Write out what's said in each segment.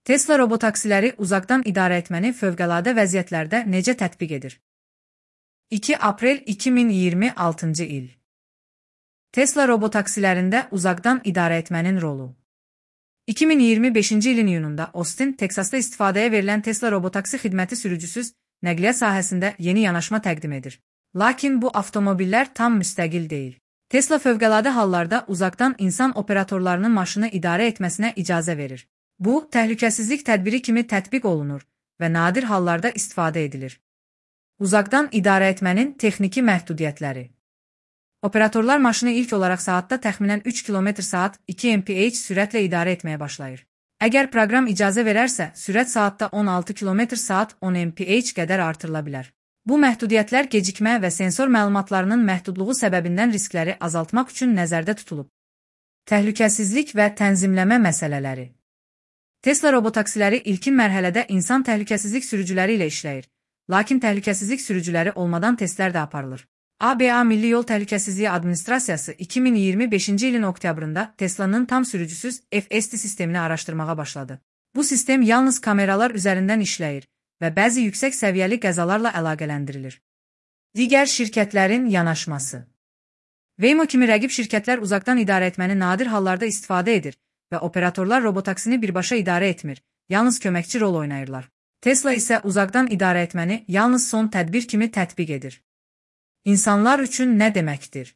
Tesla robotaksiləri uzaqdan idarə etməni fövqəladə vəziyyətlərdə necə tətbiq edir? 2 aprel 2026-cı il. Tesla robotaksilərində uzaqdan idarə etmənin rolu. 2025-ci ilin iyununda Austin, Teksasda istifadəyə verilən Tesla robotaksi xidməti sürücüsüz nəqliyyat sahəsində yeni yanaşma təqdim edir. Lakin bu avtomobillər tam müstəqil deyil. Tesla fövqəladə hallarda uzaqdan insan operatorlarının maşını idarə etməsinə icazə verir. Bu, təhlükəsizlik tədbiri kimi tətbiq olunur və nadir hallarda istifadə edilir. Uzaqdan idarə etmənin texniki məhdudiyyətləri. Operatorlar maşını ilk olaraq saatda təxminən 3 km/saat 2 mph sürətlə idarə etməyə başlayır. Əgər proqram icazə verərsə, sürət saatda 16 km/saat 10 mph qədər artırıla bilər. Bu məhdudiyyətlər gecikmə və sensor məlumatlarının məhdudluğu səbəbindən riskləri azaltmaq üçün nəzərdə tutulub. Təhlükəsizlik və tənzimləmə məsələləri. Tesla robotaksiləri ilkin mərhələdə insan təhlükəsizlik sürücüləri ilə işləyir, lakin təhlükəsizlik sürücüləri olmadan testlər də aparılır. ABA Milli Yol Təhlükəsizliyi Administrasiyası 2025-ci ilin oktyabrında Tesla'nın tam sürücüsüz FSD sistemini araşdırmağa başladı. Bu sistem yalnız kameralar üzərindən işləyir və bəzi yüksək səviyyəli qəzalarla əlaqələndirilir. Digər şirkətlərin yanaşması. Waymo kimi rəqib şirkətlər uzaqdan idarə etməni nadir hallarda istifadə edir və operatorlar robotaksini birbaşa idarə etmir, yalnız köməkçi rol oynayırlar. Tesla isə uzaqdan idarə etməni yalnız son tədbir kimi tətbiq edir. İnsanlar üçün nə deməkdir?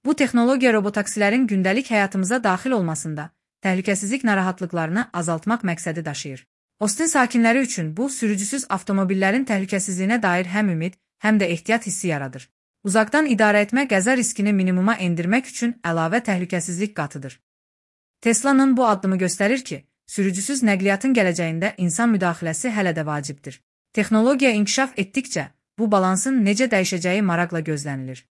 Bu texnologiya robotaksilərin gündəlik həyatımıza daxil olmasında təhlükəsizlik narahatlıqlarını azaltmaq məqsədi daşıyır. Austin sakinləri üçün bu, sürücüsüz avtomobillərin təhlükəsizliyinə dair həm ümid, həm də ehtiyat hissi yaradır. Uzaqdan idarə etmə qəza riskini minimuma endirmək üçün əlavə təhlükəsizlik qatıdır. Tesla'nın bu addımı göstərir ki, sürücüsüz nəqliyyatın gələcəyində insan müdaxiləsi hələ də vacibdir. Texnologiya inkişaf etdikcə, bu balansın necə dəyişəcəyi maraqla gözlənilir.